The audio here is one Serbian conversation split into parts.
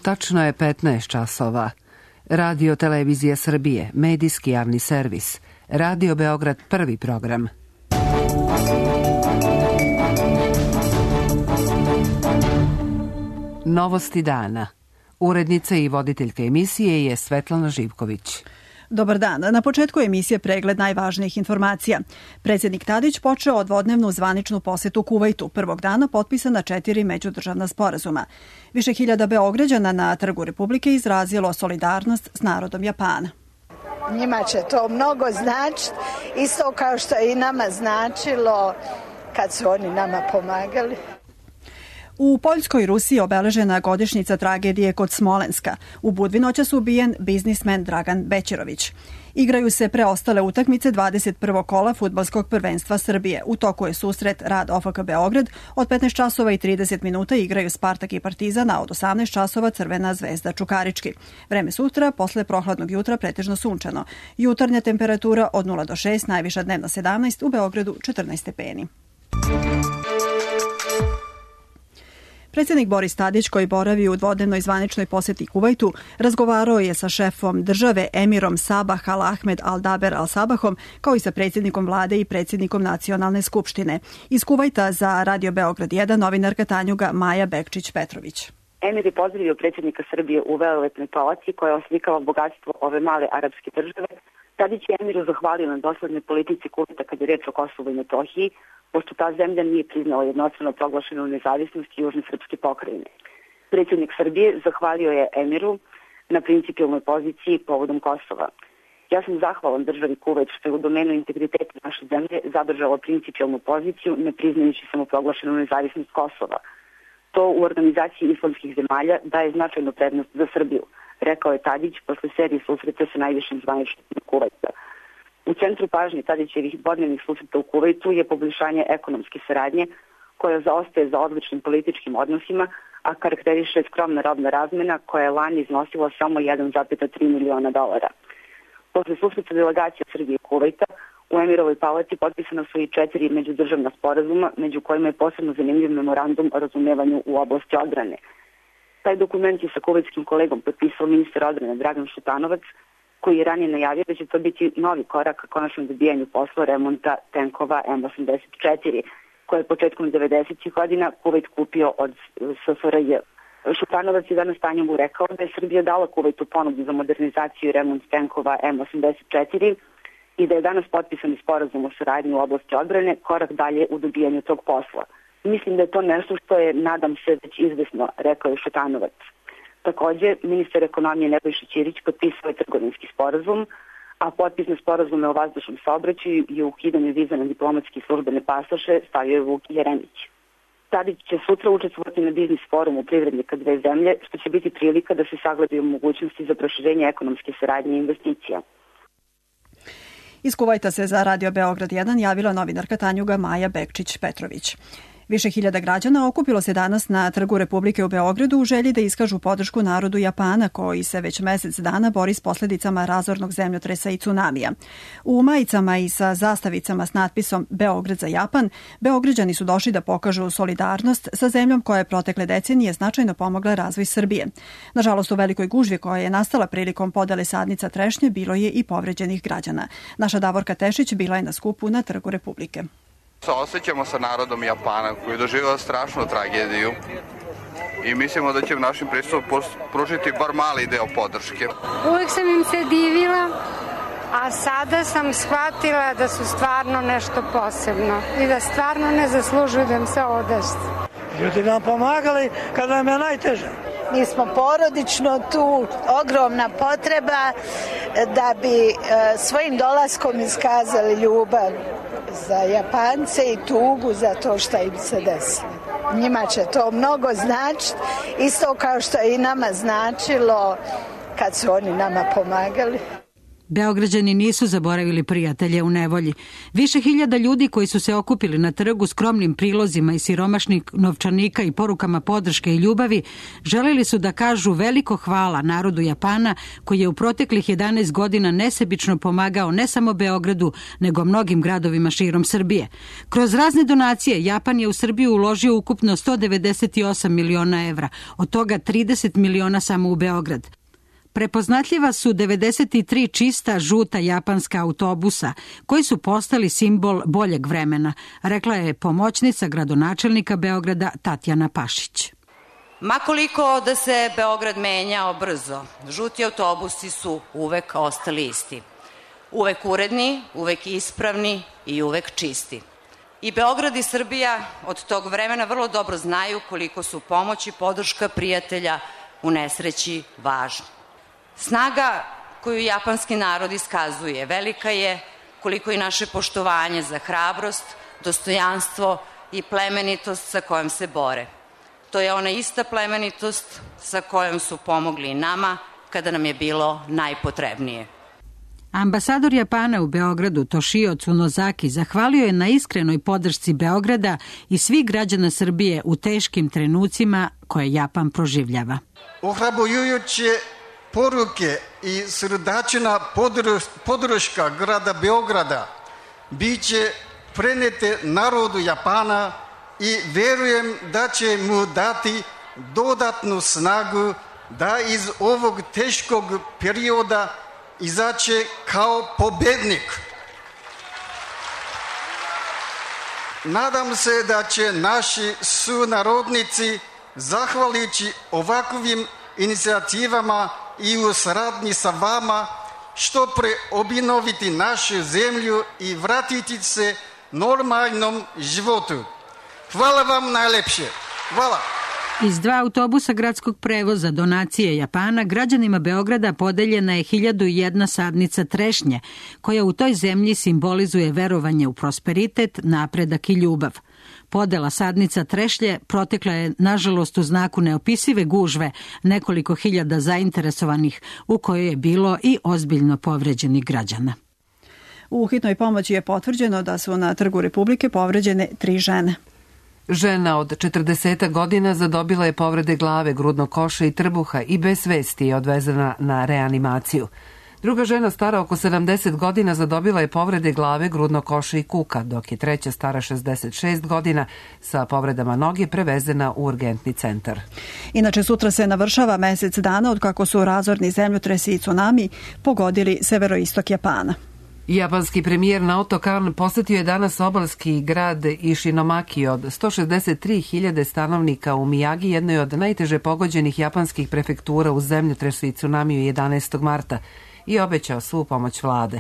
Tačno je 15 časova. Radio Televizija Srbije, medijski javni servis. Radio Beograd, prvi program. Novosti dana. Urednica i voditeljka emisije je Svetlana Živković. Dobar dan. Na početku emisije pregled najvažnijih informacija. Predsjednik Tadić počeo dvodnevnu zvaničnu posetu Kuvajtu. Prvog dana potpisana 4 međudržavna sporazuma. Više hiljada Beograđana na Trgu Republike izrazilo solidarnost s narodom Japana. Njima će to mnogo značiti, isto kao što je i nama značilo kad su oni nama pomagali. U Poljskoj Rusiji obeležena godišnjica tragedije kod Smolenska. U Budvinoćas ubijen biznismen Dragan Bećirović. Igraju se preostale utakmice 21. kola fudbalskog prvenstva Srbije. U toku je susret Rad OFK Beograd. Od 15 časova i 30 minuta igraju Spartak i Partizan, a od 18 časova Crvena zvezda Čukarički. Vreme sutra, posle prohladnog jutra, pretežno sunčano. Jutarnja temperatura od 0 do 6, najviša dnevna 17, u Beogradu 14 stepeni. Predsjednik Boris Tadić, koji boravi u dvodnevnoj zvaničnoj poseti Kuvajtu, razgovarao je sa šefom države Emirom Sabah Al Ahmed Al Daber Al Sabahom, kao i sa predsjednikom vlade i predsjednikom nacionalne skupštine. Iz Kuvajta za Radio Beograd 1 novinarka Tanjuga Maja Bekčić-Petrović. Emir je pozdravio predsjednika Srbije u velelepnoj palaci koja oslikava bogatstvo ove male arapske države. Tadić je Emiru zahvalio na doslednoj politici Kuvajta kad je reč o Kosovu i Metohiji, pošto ta zemlja nije priznala jednostrano proglašenu nezavisnost južne srpske pokrajine. Predsjednik Srbije zahvalio je Emiru na principijelnoj poziciji povodom Kosova. Ja sam zahvalan državi Kuvajt što je u domenu integriteta naše zemlje zadržala principijelnu poziciju, ne priznajući samoproglašenu nezavisnost Kosova. To u organizaciji islamskih zemalja daje značajnu prednost za Srbiju, rekao je Tadić posle serije susreta sa najvišim zvaničnikom Kuvajta. U centru pažnje Tadićevih dvodnevnih susreta u Kuvajtu je poboljšanje ekonomske saradnje koja zaostaje za odličnim političkim odnosima, a karakteriše skromna robna razmena koja je lani iznosila samo 1,3 miliona dolara. Posle susreta delegacija Srbije i Kuvajta u Emirovoj palaci potpisana su i 4 međudržavna sporazuma, među kojima je posebno zanimljiv memorandum o razumevanju u oblasti odbrane. Taj dokument je sa kuvajtskim kolegom potpisao ministar odbrane Dragan Šutanovac, koji je ranije najavio da će to biti novi korak ka konačnom dobijanju posla remonta tenkova M84, koje je početkom 90. godina Kuvajt kupio od SFRJ. Šutanovac je danas Tanjugu rekao da je Srbija dala Kuvajtu ponudu za modernizaciju i remont tenkova M84 i da je danas potpisan sporazum o saradnji u oblasti odbrane korak dalje u dobijanju tog posla. Mislim da je to nešto što je, nadam se, već izvesno, rekao je Šutanovac. Takođe, ministar ekonomije Nebojša Ćirić potpisao je trgovinski sporazum, a potpis na sporazume o vazdušnom saobraćaju i o ukidanju viza na diplomatske i službene pasoše stavio je Vuk Jeremić. Tadić će sutra učestvovati na biznis forumu privrednika dve zemlje, što će biti prilika da se sagledaju mogućnosti za proširenje ekonomske saradnje i investicija. Iz Kuvajta se za Radio Beograd 1 javila novinarka Tanjuga Maja Bekčić-Petrović. Više hiljada građana okupilo se danas na Trgu Republike u Beogradu u želji da iskažu podršku narodu Japana, koji se već mesec dana bori s posljedicama razornog zemljotresa i tsunamija. U majicama i sa zastavicama s natpisom Beograd za Japan, Beograđani su došli da pokažu solidarnost sa zemljom koja je protekle decenije značajno pomogla razvoj Srbije. Nažalost, u velikoj gužvi koja je nastala prilikom podele sadnica trešnje bilo je i povređenih građana. Naša Davorka Tešić bila je na skupu na Trgu Republike. Osjećamo sa narodom Japana koji je doživio strašnu tragediju i mislimo da će našim pristupom pružiti bar mali deo podrške. Uvijek sam im se divila, a sada sam shvatila da su stvarno nešto posebno i da stvarno ne zaslužuju da im se ovo desi. Ljudi nam pomagali kada nam je najteže. Mi smo porodično tu, ogromna potreba da bi svojim dolaskom iskazali ljubav za Japance i tugu za to što im se desi. Njima će to mnogo značiti, isto kao što je i nama značilo kad su oni nama pomagali. Beograđani nisu zaboravili prijatelje u nevolji. Više hiljada ljudi koji su se okupili na trgu skromnim prilozima i siromašnih novčanika i porukama podrške i ljubavi želeli su da kažu veliko hvala narodu Japana koji je u proteklih 11 godina nesebično pomagao ne samo Beogradu nego mnogim gradovima širom Srbije. Kroz razne donacije Japan je u Srbiju uložio ukupno 198 miliona evra, od toga 30 miliona samo u Beograd. Prepoznatljiva su 93 čista žuta japanska autobusa koji su postali simbol boljeg vremena, rekla je pomoćnica gradonačelnika Beograda Tatjana Pašić. Makoliko da se Beograd menjao brzo, žuti autobusi su uvek ostali isti. Uvek uredni, uvek ispravni i uvek čisti. I Beograd i Srbija od tog vremena vrlo dobro znaju koliko su pomoć i podrška prijatelja u nesreći važni. Snaga koju japanski narod iskazuje velika je koliko i naše poštovanje za hrabrost, dostojanstvo i plemenitost sa kojom se bore. To je ona ista plemenitost sa kojom su pomogli i nama kada nam je bilo najpotrebnije. Ambasador Japana u Beogradu Toshio Tsunozaki zahvalio je na iskrenoj podršci Beograda i svih građana Srbije u teškim trenucima koje Japan proživljava. Ohrabrujuće poruke i srdačna podrška grada Beograda biće prenete narodu Japana i verujem da će mu dati dodatnu snagu da iz ovog teškog perioda izaće kao pobednik. Nadam se da će naši sunarodnici, zahvaljujući ovakvim inicijativama i u saradnji sa vama, što pre obnoviti našu zemlju i vratiti se normalnom životu. Hvala vam najlepše. Hvala. Iz 2 autobusa gradskog prevoza donacije Japana građanima Beograda podeljena je 1001 sadnica trešnje, koja u toj zemlji simbolizuje verovanje u prosperitet, napredak i ljubav. Podela sadnica trešnje protekla je, nažalost, u znaku neopisive gužve nekoliko hiljada zainteresovanih, u kojoj je bilo i ozbiljno povređenih građana. U hitnoj pomoći je potvrđeno da su na Trgu Republike povređene 3 žene. Žena od 40 godina zadobila je povrede glave, grudnog koša i trbuha i bez svesti je odvezena na reanimaciju. Druga žena stara oko 70 godina zadobila je povrede glave, grudnog koša i kuka, dok je treća stara 66 godina sa povredama noge prevezena u urgentni centar. Inače, sutra se navršava mesec dana od kako su razorni zemljotresi i tsunami pogodili severoistok Japana. Japanski premijer Naoto Kan posetio je danas obalski grad Ishinomaki od 163.000 stanovnika u Miyagi, jednoj od najteže pogođenih japanskih prefektura u zemljotresu i tsunamiju 11. marta, i obećao svu pomoć vlade.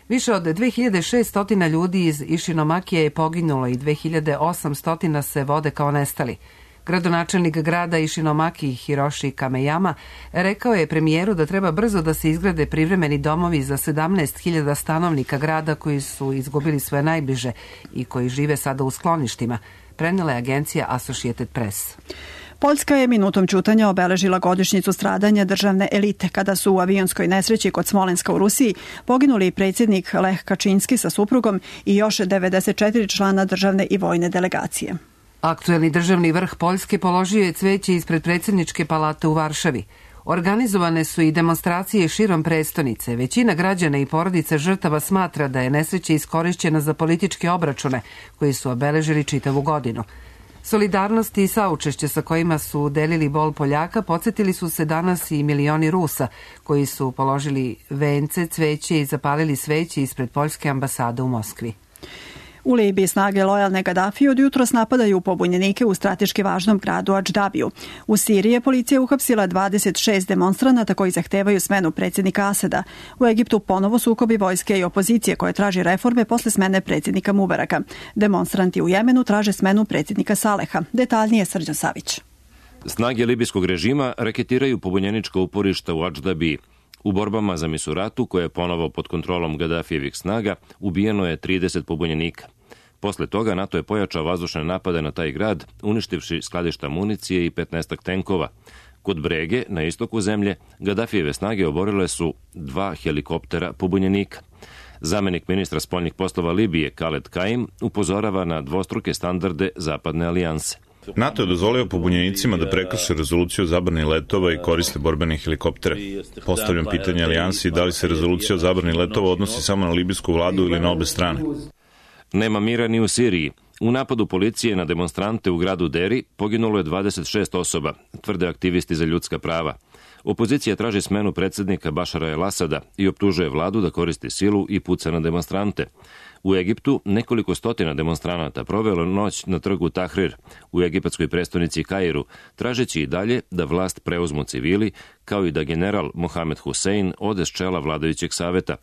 Više od 2600 ljudi iz Ishinomakija je poginulo i 2800 se vode kao nestali. Gradonačelnik grada Ishinomaki Hiroshi Kameyama rekao je premijeru da treba brzo da se izgrade privremeni domovi za 17.000 stanovnika grada koji su izgubili svoje najbliže i koji žive sada u skloništima, prenela je agencija Associated Press. Poljska je minutom ćutanja obeležila godišnjicu stradanja državne elite kada su u avionskoj nesreći kod Smolenska u Rusiji poginuli predsjednik Lech Kačinski sa suprugom i još 94 člana državne i vojne delegacije. Aktuelni državni vrh Poljske položio je cveće ispred predsjedničke palate u Varšavi. Organizovane su i demonstracije širom prestonice. Većina građana i porodica žrtava smatra da je nesreća iskorišćena za političke obračune koji su obeležili čitavu godinu. Solidarnost i saučešće sa kojima su delili bol Poljaka podsjetili su se danas i milioni Rusa koji su položili vence, cveće i zapalili sveće ispred poljske ambasade u Moskvi. U Libiji snage lojalne Gadafiju od jutros napadaju pobunjenike u strateški važnom gradu Adždabiju. U Siriji je policija uhapsila 26 demonstranata koji zahtevaju smenu predsjednika Asada. U Egiptu ponovo sukobi vojske i opozicije koje traži reforme posle smene predsjednika Mubaraka. Demonstranti u Jemenu traže smenu predsjednika Saleha. Detaljnije Srđan Savić. Snage libijskog režima raketiraju pobunjenička uporišta u Adždabiji. U borbama za Misuratu, koja je ponovo pod kontrolom Gadafijevih snaga, ubijeno je 30 pobunjenika. Posle toga NATO je pojačao vazdušne napade na taj grad, uništivši skladišta municije i 15 tenkova. Kod Brege, na istoku zemlje, Gadafijeve snage oborile su 2 helikoptera pobunjenika. Zamenik ministra spoljnih poslova Libije, Khaled Kaim, upozorava na dvostruke standarde Zapadne alijanse. NATO je dozvolio pobunjenicima da prekrše rezoluciju o zabrani letova i koriste borbene helikoptere. Postavljam pitanje alijansi da li se rezolucija o zabrani letova odnosi samo na libijsku vladu ili na obe strane. Nema mira ni u Siriji. U napadu policije na demonstrante u gradu Deri poginulo je 26 osoba, tvrde aktivisti za ljudska prava. Opozicija traži smenu predsjednika Bašara el-Asada i optužuje vladu da koristi silu i puca na demonstrante. U Egiptu nekoliko stotina demonstranata provelo noć na trgu Tahrir u egipatskoj prestonici Kairu, tražeći i dalje da vlast preuzmu civili, kao i da general Mohamed Hussein ode s čela vladajućeg saveta.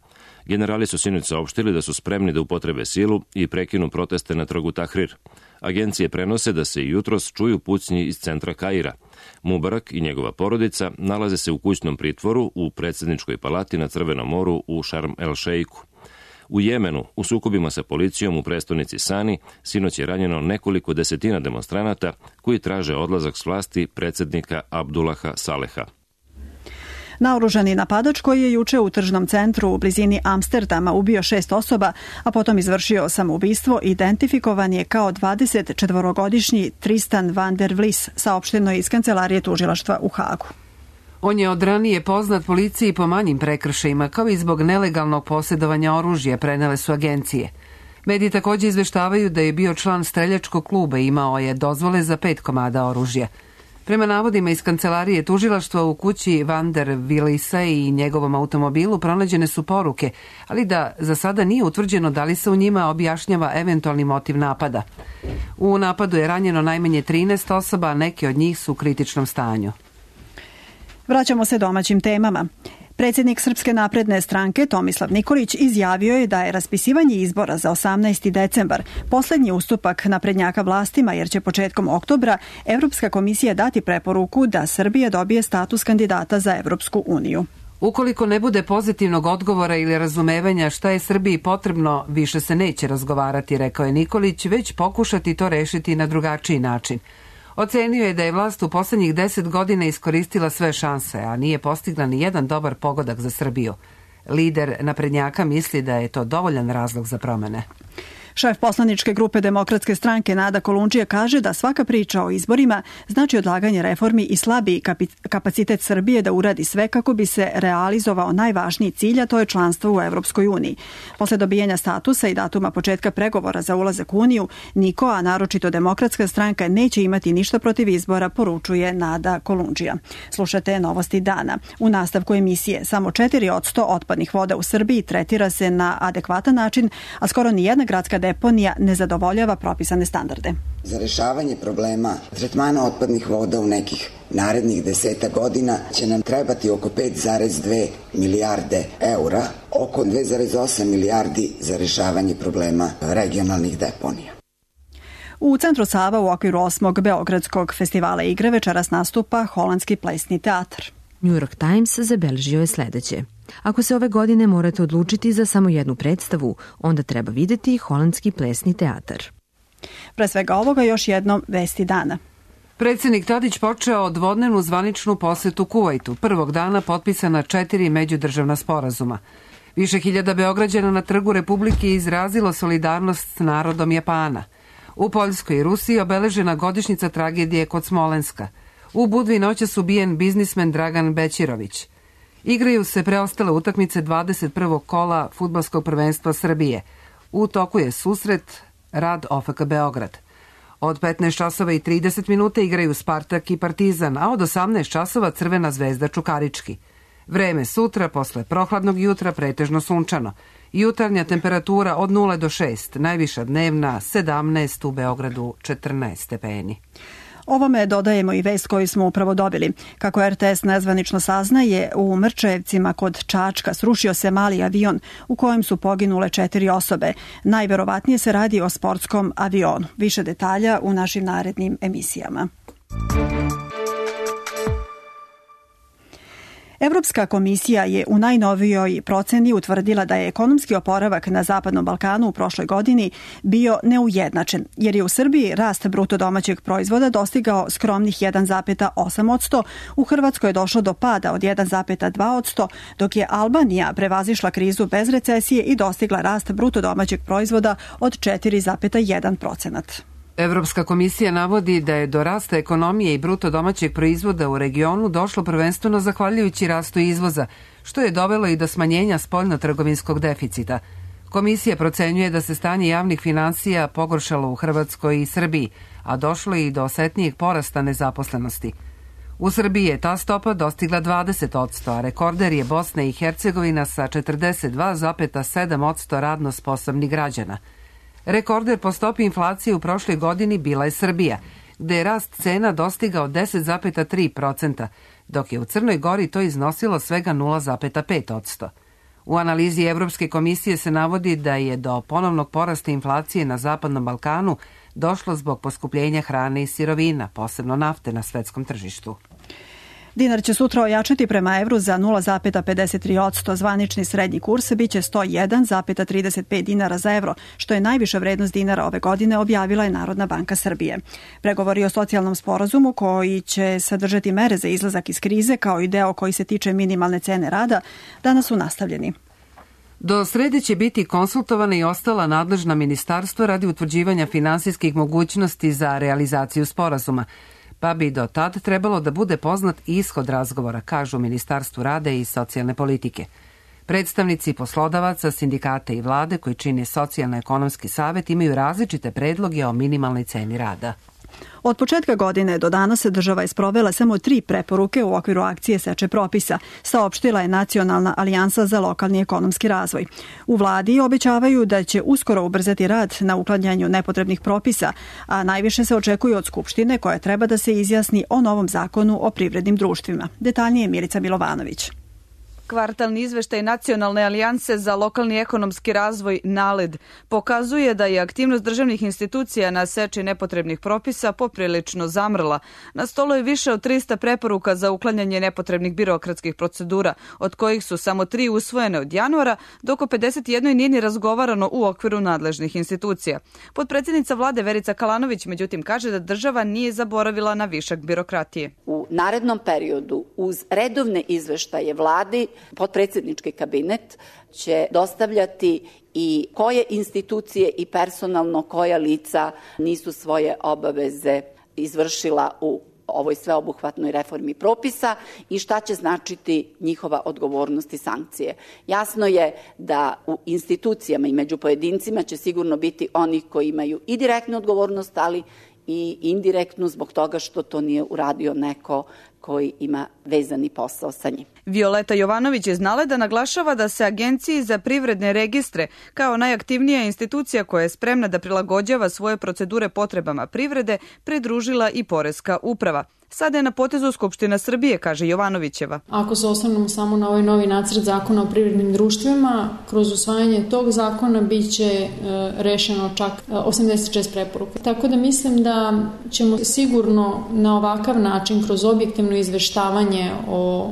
Generali su sinoć saopštili da su spremni da upotrebe silu i prekinu proteste na trgu Tahrir. Agencije prenose da se i jutros čuju pucnji iz centra Kaira. Mubarak i njegova porodica nalaze se u kućnom pritvoru u predsjedničkoj palati na Crvenom moru u Šarm el-Šejku. U Jemenu, u sukobima sa policijom u prestonici Sani, sinoć je ranjeno nekoliko desetina demonstranata koji traže odlazak s vlasti predsjednika Abdullaha Saleha. Naoružani napadač koji je juče u tržnom centru u blizini Amsterdama ubio 6 osoba, a potom izvršio samoubistvo, identifikovan je kao 24-godišnji Tristan van der Vlis, saopšteno je iz kancelarije tužilaštva u Hagu. On je od ranije poznat policiji po manjim prekršajima, kao i zbog nelegalnog posjedovanja oružja, prenele su agencije. Mediji također izveštavaju da je bio član streljačkog kluba i imao je dozvole za 5 komada oružja. Prema navodima iz kancelarije tužilaštva u kući Van der Willisa i njegovom automobilu pronađene su poruke, ali da za sada nije utvrđeno da li se u njima objašnjava eventualni motiv napada. U napadu je ranjeno najmanje 13 osoba, a neke od njih su u kritičnom stanju. Vraćamo se domaćim temama. Predsjednik Srpske napredne stranke Tomislav Nikolić izjavio je da je raspisivanje izbora za 18. decembar posljednji ustupak naprednjaka vlastima, jer će početkom oktobra Evropska komisija dati preporuku da Srbija dobije status kandidata za Evropsku uniju. Ukoliko ne bude pozitivnog odgovora ili razumevanja šta je Srbiji potrebno, više se neće razgovarati, rekao je Nikolić, već pokušati to rešiti na drugačiji način. Ocenio je da je vlast u posljednjih 10 godina iskoristila sve šanse, a nije postigla ni jedan dobar pogodak za Srbiju. Lider naprednjaka misli da je to dovoljan razlog za promene. Šef poslaničke grupe Demokratske stranke Nada Kolundžija kaže da svaka priča o izborima znači odlaganje reformi i slabiji kapacitet Srbije da uradi sve kako bi se realizovao najvažniji cilj, a to je članstvo u Evropskoj uniji. Posle dobijanja statusa i datuma početka pregovora za ulazak u Uniju, niko, a naročito Demokratska stranka, neće imati ništa protiv izbora, poručuje Nada Kolundžija. Slušate Novosti dana. U nastavku emisije samo 4% otpadnih voda u Srbiji tretira se na adekvatan način, a skoro nijedna gradska deponija ne zadovoljava propisane standarde. Za rešavanje problema tretmana otpadnih voda u nekih narednih 10 godina će nam trebati oko 5,2 milijarde eura, oko 2,8 milijardi za rešavanje problema regionalnih deponija. U centru Sava u okviru 8. Beogradskog festivala igre večeras nastupa Holandski plesni teatar. New York Times zabeležio je sledeće. Ako se ove godine morate odlučiti za samo jednu predstavu, onda treba videti Holandski plesni teatar. Pre svega ovoga još jednom vesti dana. Predsjednik Tadić počeo dvodnevnu zvaničnu posetu Kuvajtu. Prvog dana potpisana 4 međudržavna sporazuma. Više hiljada Beograđana na Trgu Republike izrazilo solidarnost s narodom Japana. U Poljskoj i Rusiji obeležena godišnjica tragedije kod Smolenska. U Budvi noćas ubijen biznismen Dragan Bećirović. Igraju se preostale utakmice 21. kola fudbalskog prvenstva Srbije. U toku je susret Rad OFK Beograd. Od 15 časova i 30 minuta igraju Spartak i Partizan, a od 18 časova Crvena zvezda Čukarički. Vreme sutra, posle prohladnog jutra, pretežno sunčano. Jutarnja temperatura od 0 do 6, najviša dnevna 17, u Beogradu 14 stepeni. Ovome dodajemo i vest koju smo upravo dobili. Kako RTS nezvanično saznaje, u Mrčajevcima kod Čačka srušio se mali avion u kojem su poginule 4 osobe. Najverovatnije se radi o sportskom avionu. Više detalja u našim narednim emisijama. Evropska komisija je u najnovijoj proceni utvrdila da je ekonomski oporavak na Zapadnom Balkanu u prošloj godini bio neujednačen, jer je u Srbiji rast bruto domaćeg proizvoda dostigao skromnih 1,8%, u Hrvatskoj je došlo do pada od 1,2%, dok je Albanija prevazišla krizu bez recesije i dostigla rast bruto domaćeg proizvoda od 4,1%. Evropska komisija navodi da je do rasta ekonomije i bruto domaćeg proizvoda u regionu došlo prvenstveno zahvaljujući rastu izvoza, što je dovelo i do smanjenja spoljnotrgovinskog deficita. Komisija procenjuje da se stanje javnih finansija pogoršalo u Hrvatskoj i Srbiji, a došlo je i do osetnijeg porasta nezaposlenosti. U Srbiji je ta stopa dostigla 20%, a rekorder je Bosna i Hercegovina sa 42,7% radno sposobnih građana. Rekorder po stopi inflacije u prošloj godini bila je Srbija, gde je rast cena dostigao 10,3%, dok je u Crnoj Gori to iznosilo svega 0,5%. U analizi Evropske komisije se navodi da je do ponovnog porasta inflacije na Zapadnom Balkanu došlo zbog poskupljenja hrane i sirovina, posebno nafte na svetskom tržištu. Dinar će sutra ojačati prema evru za 0,53%, zvanični srednji kurs biće 101,35 dinara za evro, što je najviša vrednost dinara ove godine, objavila je Narodna banka Srbije. Pregovori o socijalnom sporazumu koji će sadržati mere za izlazak iz krize, kao i deo koji se tiče minimalne cene rada, danas su nastavljeni. Do srede će biti konsultovana i ostala nadležna ministarstva radi utvrđivanja finansijskih mogućnosti za realizaciju sporazuma, pa bi do tad trebalo da bude poznat ishod razgovora, kažu Ministarstvu rada i socijalne politike. Predstavnici poslodavaca, sindikata i vlade koji čine Socijalno-ekonomski savet imaju različite predloge o minimalnoj ceni rada. Od početka godine do danas država je sprovela samo 3 preporuke u okviru akcije Seče propisa, saopštila je Nacionalna alijansa za lokalni ekonomski razvoj. U vladi obećavaju da će uskoro ubrzati rad na uklanjanju nepotrebnih propisa, a najviše se očekuje od Skupštine koja treba da se izjasni o novom zakonu o privrednim društvima. Detaljnije Milica Milovanović. Kvartalni izveštaj Nacionalne alijanse za lokalni ekonomski razvoj NALED pokazuje da je aktivnost državnih institucija na seči nepotrebnih propisa poprilično zamrla. Na stolu je više od 300 preporuka za uklanjanje nepotrebnih birokratskih procedura, od kojih su samo 3 usvojene od januara, dok o 51 nije ni razgovarano u okviru nadležnih institucija. Potpredsjednica vlade Verica Kalanović međutim kaže da država nije zaboravila na višak birokratije. U narednom periodu uz redovne izveštaje vladi potpredsjednički kabinet će dostavljati i koje institucije i personalno koja lica nisu svoje obaveze izvršila u ovoj sveobuhvatnoj reformi propisa i šta će značiti njihova odgovornost i sankcije. Jasno je da u institucijama i među pojedincima će sigurno biti onih koji imaju i direktnu odgovornost, ali i indirektnu zbog toga što to nije uradio neko koji ima vezani posao sa njim. Violeta Jovanović iz NALED-a naglašava da se Agenciji za privredne registre kao najaktivnija institucija koja je spremna da prilagođava svoje procedure potrebama privrede pridružila i Poreska uprava. Sada je na potezu Skupština Srbije, kaže Jovanovićeva. Ako se osvrnemo samo na ovaj novi nacrt zakona o privrednim društvima, kroz usvajanje tog zakona biće rešeno čak 86 preporuka. Tako da mislim da ćemo sigurno na ovakav način, kroz objektivno izveštavanje o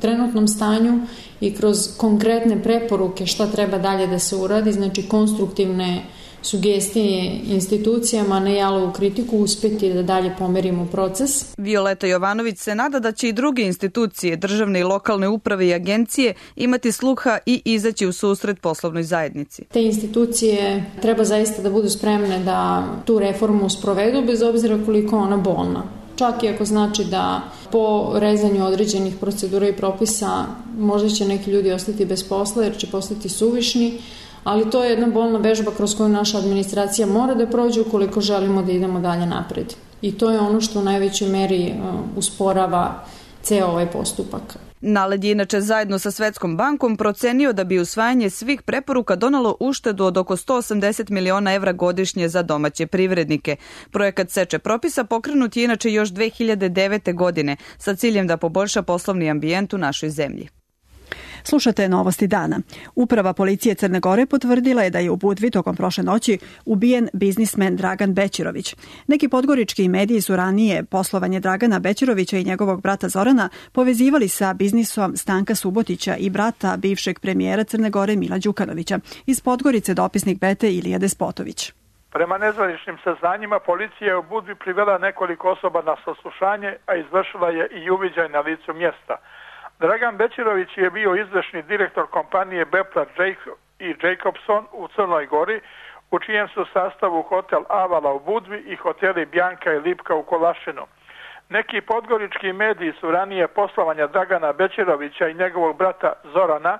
trenutnom stanju i kroz konkretne preporuke šta treba dalje da se uradi, znači konstruktivne sugestije institucijama, ne jalovu kritiku, uspjeti da dalje pomerimo proces. Violeta Jovanović se nada da će i druge institucije, državne i lokalne uprave i agencije imati sluha i izaći u susret poslovnoj zajednici. Te institucije treba zaista da budu spremne da tu reformu sprovedu, bez obzira koliko ona bolna. Čak i ako znači da po rezanju određenih procedura i propisa možda će neki ljudi ostati bez posla jer će postati suvišni, ali to je jedna bolna vežba kroz koju naša administracija mora da prođe ukoliko želimo da idemo dalje napred. I to je ono što u najvećoj meri usporava ceo ovaj postupak. NALED je inače zajedno sa Svetskom bankom procenio da bi usvajanje svih preporuka donalo uštedu od oko 180 miliona evra godišnje za domaće privrednike. Projekat Seče propisa pokrenut je inače još 2009. godine sa ciljem da poboljša poslovni ambijent u našoj zemlji. Slušate Novosti dana. Uprava policije Crne Gore potvrdila je da je u Budvi tokom prošle noći ubijen biznismen Dragan Bećirović. Neki podgorički mediji su ranije poslovanje Dragana Bećirovića i njegovog brata Zorana povezivali sa biznisom Stanka Subotića i brata bivšeg premijera Crne Gore Mila Đukanovića. Iz Podgorice dopisnik Bete Ilija Despotović. Prema nezvaničnim saznanjima, policija je u Budvi privela nekoliko osoba na saslušanje, a izvršila je i uviđaj na licu mjesta. Dragan Bećirović je bio izvršni direktor kompanije Beplar i Jacobson u Crnoj Gori, u čijem su sastavu hotel Avala u Budvi i hoteli Bjanka i Lipka u Kolašinu. Neki podgorički mediji su ranije poslovanja Dragana Bećirovića i njegovog brata Zorana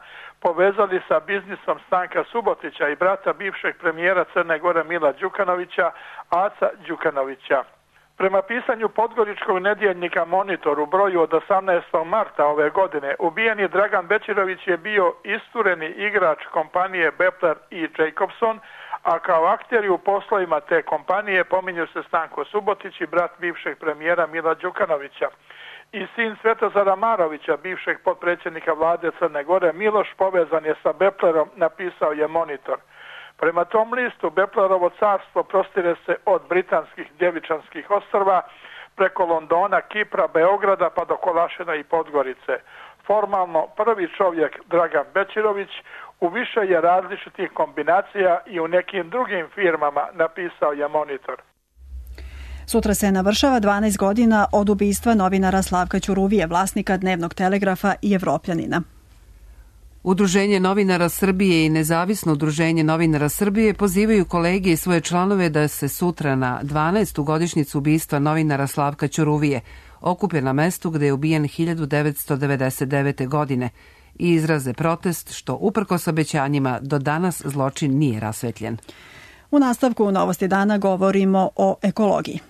povezali sa biznisom Stanka Subotića i brata bivšeg premijera Crne Gore Mila Đukanovića, Aca Đukanovića. Prema pisanju podgoričkog nedjeljnika Monitor u broju od 18. marta ove godine, ubijeni Dragan Bećirović je bio istureni igrač kompanije Beplar i Jacobson, a kao akteri u poslovima te kompanije pominju se Stanko Subotić i brat bivšeg premijera Mila Đukanovića. I sin Svetozara Marovića, bivšeg potpredsjednika vlade Crne Gore, Miloš, povezan je sa Beplarom, napisao je Monitor. Prema tom listu, Beplarovo carstvo prostire se od britanskih Djevičanskih ostrva preko Londona, Kipra, Beograda pa do Kolašina i Podgorice. Formalno prvi čovjek Dragan Bećirović u više je različitih kombinacija i u nekim drugim firmama, napisao je Monitor. Sutra se navršava 12 godina od ubistva novinara Slavka Ćuruvije, vlasnika Dnevnog telegrafa i Evropljanina. Udruženje novinara Srbije i Nezavisno udruženje novinara Srbije pozivaju kolege i svoje članove da se sutra na 12. godišnjicu ubistva novinara Slavka Ćuruvije okupe na mestu gde je ubijen 1999. godine i izraze protest što uprkos obećanjima do danas zločin nije rasvetljen. U nastavku Novosti dana govorimo o ekologiji.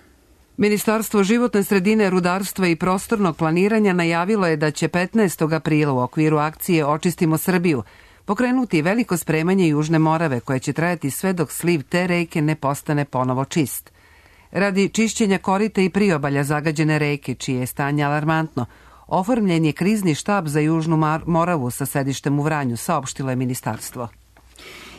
Ministarstvo životne sredine, rudarstva i prostornog planiranja najavilo je da će 15. aprila u okviru akcije Očistimo Srbiju pokrenuti veliko spremanje Južne Morave koje će trajati sve dok sliv te reke ne postane ponovo čist. Radi čišćenja korita i priobalja zagađene reke, čije je stanje alarmantno, oformljen je krizni štab za Južnu Moravu sa sedištem u Vranju, saopštilo je ministarstvo.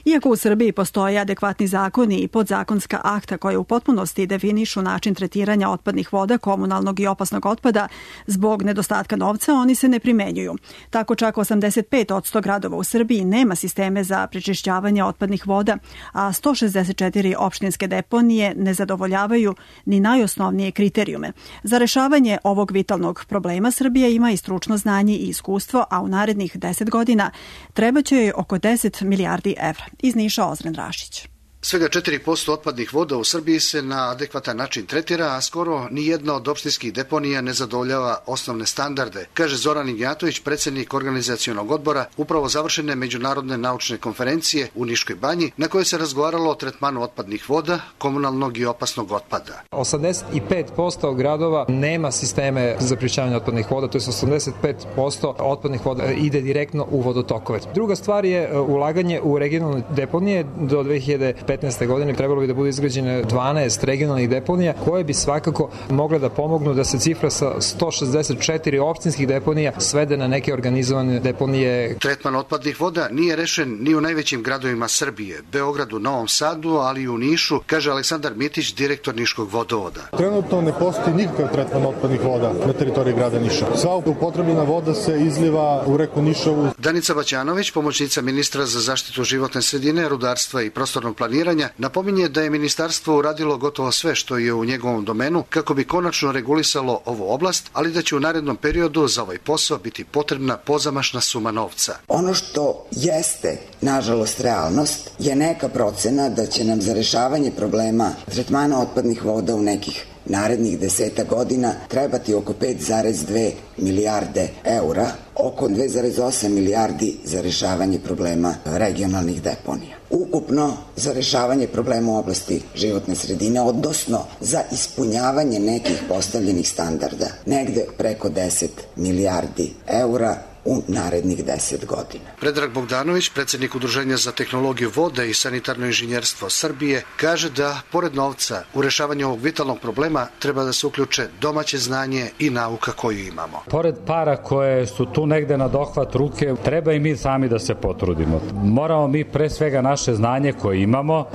Iako u Srbiji postoje adekvatni zakoni i podzakonska akta koje u potpunosti definišu način tretiranja otpadnih voda, komunalnog i opasnog otpada, zbog nedostatka novca oni se ne primenjuju. Tako čak 85% gradova u Srbiji nema sisteme za prečišćavanje otpadnih voda, a 164 opštinske deponije ne zadovoljavaju ni najosnovnije kriterijume. Za rešavanje ovog vitalnog problema Srbija ima i stručno znanje i iskustvo, a u narednih 10 godina trebaće joj oko 10 milijardi evra. Iz Niša Ozren Rašić. Svega 4% otpadnih voda u Srbiji se na adekvatan način tretira, a skoro ni jedna od opštinskih deponija ne zadovoljava osnovne standarde, kaže Zoran Ignjatović, predsjednik organizacionog odbora upravo završene međunarodne naučne konferencije u Niškoj banji, na kojoj se razgovaralo o tretmanu otpadnih voda, komunalnog i opasnog otpada. 85% gradova nema sisteme za prečišćavanje otpadnih voda, to je 85% otpadnih voda ide direktno u vodotokove. Druga stvar je ulaganje u regionalne deponije. Do 2015. godine trebalo bi da bude izgrađene 12 regionalnih deponija koje bi svakako mogle da pomognu da se cifra sa 164 opštinskih deponija svede na neke organizovane deponije. Tretman otpadnih voda nije rešen ni u najvećim gradovima Srbije, Beogradu, Novom Sadu, ali i u Nišu, kaže Aleksandar Mitić, direktor Niškog vodovoda. Trenutno ne postoji nikakav tretman otpadnih voda na teritoriji grada Niša. Sva upotrebljena voda se izliva u reku Nišavu. Danica Baćanović, pomoćnica ministra za zaštitu životne sredine, rudarstva i prostornog planiranja, napominje da je ministarstvo uradilo gotovo sve što je u njegovom domenu kako bi konačno regulisalo ovu oblast, ali da će u narednom periodu za ovaj posao biti potrebna pozamašna suma novca. Ono što jeste, nažalost, realnost je neka procena da će nam za rešavanje problema tretmana otpadnih voda u nekih narednih 10 godina trebati oko 5,2 milijarde eura, oko 2,8 milijardi za rešavanje problema regionalnih deponija. Ukupno za rešavanje problema u oblasti životne sredine, odnosno za ispunjavanje nekih postavljenih standarda, negde preko 10 milijardi eura u narednih 10 godina. Predrag Bogdanović, predsjednik Udruženja za tehnologiju vode i sanitarno inženjerstvo Srbije, kaže da pored novca u rešavanju ovog vitalnog problema treba da se uključe domaće znanje i nauka koju imamo. Pored para koje su tu negde na dohvat ruke, treba i mi sami da se potrudimo. Moramo mi pre svega naše znanje koje imamo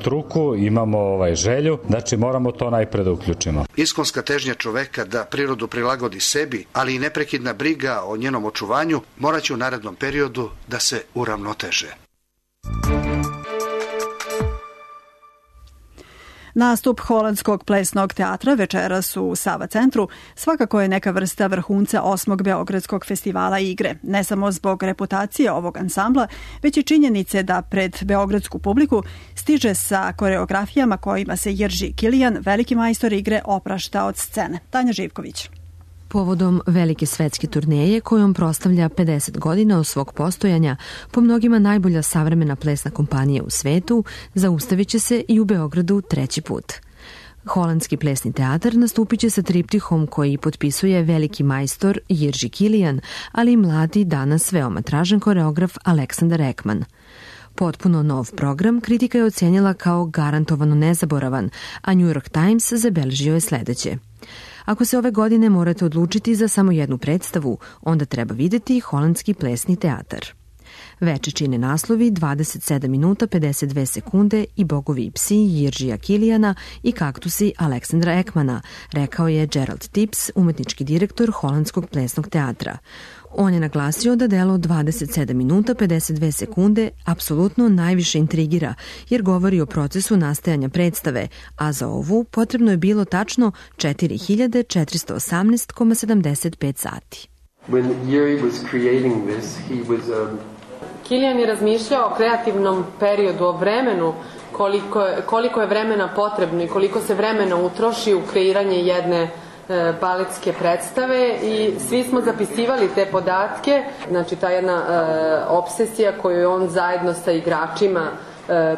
struku, imamo želju, znači moramo to najpre da uključimo. Iskonska težnja čoveka da prirodu prilagodi sebi, ali i neprekidna briga o njenom očuvanju moraće u narednom periodu da se uravnoteže. Nastup Holandskog plesnog teatra večeras u Sava centru svakako je neka vrsta vrhunca 8. Beogradskog festivala igre, ne samo zbog reputacije ovog ansambla, već i činjenice da pred beogradsku publiku stiže sa koreografijama kojima se Jirži Kilijan, veliki majstor igre, oprašta od scene. Tanja Živković. Povodom velike svetske turneje kojom proslavlja 50 godina od svog postojanja, po mnogima najbolja savremena plesna kompanija u svetu, zaustavit će se i u Beogradu 3. put. Holandski plesni teatar nastupit će sa triptihom koji potpisuje veliki majstor Jirži Kilijan, ali i mladi, danas veoma tražen koreograf Aleksandar Ekman. Potpuno nov program kritika je ocenjela kao garantovano nezaboravan, a New York Times zabeležio je sledeće. Ako se ove godine morate odlučiti za samo jednu predstavu, onda treba videti Holandski plesni teatar. Veče čine naslovi 27 minuta 52 sekunde i Bogovi psi Jiržija Kilijana i kaktusi Aleksandra Ekmana, rekao je Gerald Tips, umetnički direktor Holandskog plesnog teatra. On je naglasio da delo 27 minuta 52 sekunde apsolutno najviše intrigira, jer govori o procesu nastajanja predstave, a za ovu potrebno je bilo tačno 4418,75 sati. When Jiri was creating this, he was Kilijan je razmišljao o kreativnom periodu, o vremenu, koliko je vremena potrebno i koliko se vremena utroši u kreiranje jedne baletske predstave i svi smo zapisivali te podatke, znači ta jedna obsesija koju je on zajedno sa igračima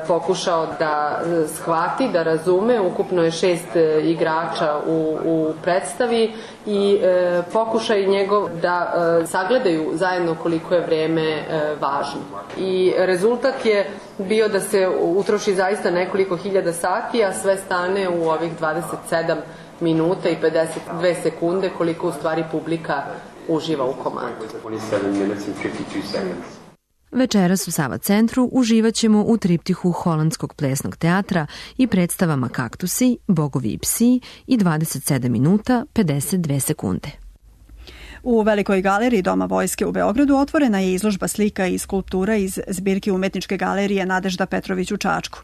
pokušao da shvati, da razume. Ukupno je 6 igrača u predstavi i pokušaj njegov da sagledaju zajedno koliko je vreme važno. I rezultat je bio da se utroši zaista nekoliko hiljada sati, a sve stane u ovih 27 minuta i 52 sekunde koliko u stvari publika uživa u komadu. Večeras u Sava centru uživat ćemo u triptihu Holandskog plesnog teatra i predstavama Kaktusi, Bogovi i psi i 27 minuta 52 sekunde. U Velikoj galeriji Doma vojske u Beogradu otvorena je izložba slika i skulptura iz zbirke umetničke galerije Nadežda Petrović u Čačku.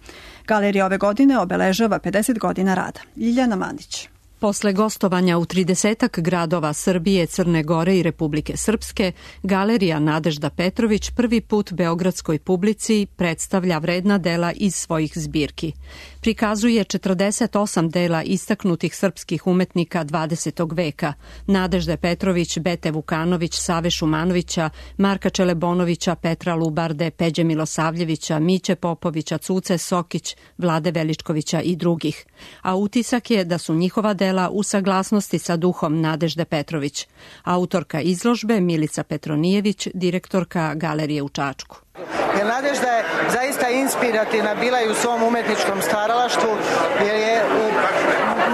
Galerija ove godine obeležava 50 godina rada. Ljiljana Mandić. Posle gostovanja u 30 gradova Srbije, Crne Gore i Republike Srpske, Galerija Nadežda Petrović prvi put beogradskoj publici predstavlja vredna dela iz svojih zbirki. Prikazuje 48 dela istaknutih srpskih umetnika 20. veka, Nadežde Petrović, Bete Vukanović, Save Šumanovića, Marka Čelebonovića, Petra Lubarde, Peđe Milosavljevića, Miće Popovića, Cuce Sokić, Vlade Veličkovića i drugih. A utisak je da su njihova dela u saglasnosti sa duhom Nadežde Petrović. Autorka izložbe Milica Petronijević, direktorka Galerije u Čačku. Jer Nadežda je zaista inspirativna bila i u svom umetničkom stvaralaštvu, jer je,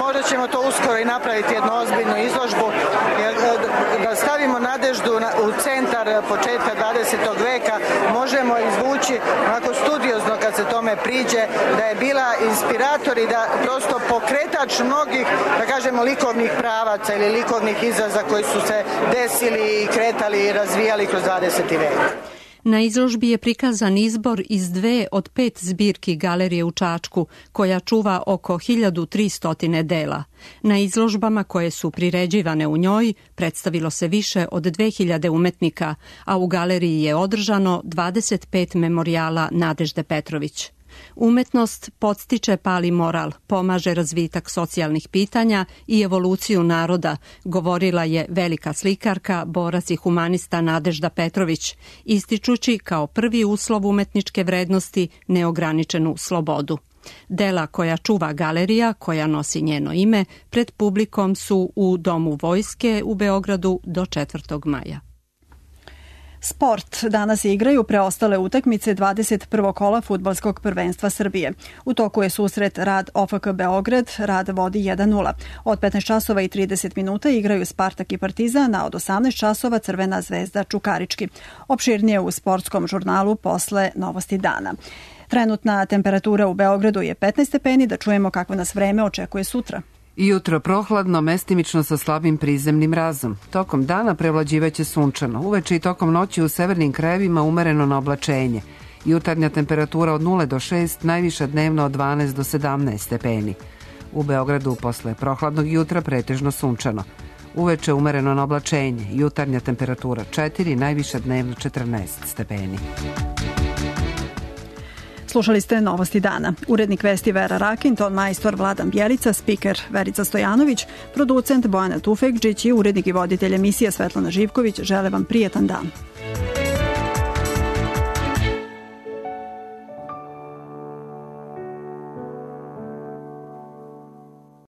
možda ćemo to uskoro i napraviti jednu ozbiljnu izložbu, jer da stavimo Nadeždu u centar početka 20. veka, možemo izvući onako studiozno kad se tome priđe, da je bila inspirator i da prosto pokretač mnogih, da kažemo, likovnih pravaca ili likovnih izraza koji su se desili i kretali i razvijali kroz 20. vek. Na izložbi je prikazan izbor iz 2 od 5 zbirki Galerije u Čačku, koja čuva oko 1300 dela. Na izložbama koje su priređivane u njoj predstavilo se više od 2000 umetnika, a u galeriji je održano 25 memorijala Nadežde Petrović. Umetnost podstiče pali moral, pomaže razvitak socijalnih pitanja i evoluciju naroda, govorila je velika slikarka, borac i humanista Nadežda Petrović, ističući kao prvi uslov umetničke vrednosti neograničenu slobodu. Dela koja čuva galerija, koja nosi njeno ime, pred publikom su u Domu vojske u Beogradu do 4. maja. Sport. Danas igraju preostale utakmice 21. kola fudbalskog prvenstva Srbije. U toku je susret Rad OFK Beograd, Rad vodi 1-0. Od 15 časova i 30 minuta igraju Spartak i Partizan, a od 18 časova Crvena zvezda Čukarički. Opširnije u sportskom žurnalu posle Novosti dana. Trenutna temperatura u Beogradu je 15 stepeni, da čujemo kako nas vreme očekuje sutra. Jutro prohladno, mestimično sa slabim prizemnim mrazom. Tokom dana prevlađivaće sunčano. Uveče i tokom noći u severnim krajevima umereno na oblačenje. Jutarnja temperatura od 0 do 6, najviša dnevno od 12 do 17 stepeni. U Beogradu posle prohladnog jutra pretežno sunčano. Uveče umereno na oblačenje. Jutarnja temperatura 4, najviša dnevno 14 stepeni. Slušali ste Novosti dana. Urednik vesti Vera Rakin, ton majstor Vladan Bjelica, spiker Verica Stojanović, producent Bojana Tufekđić i urednik i voditelj emisije Svetlana Živković žele vam prijetan dan.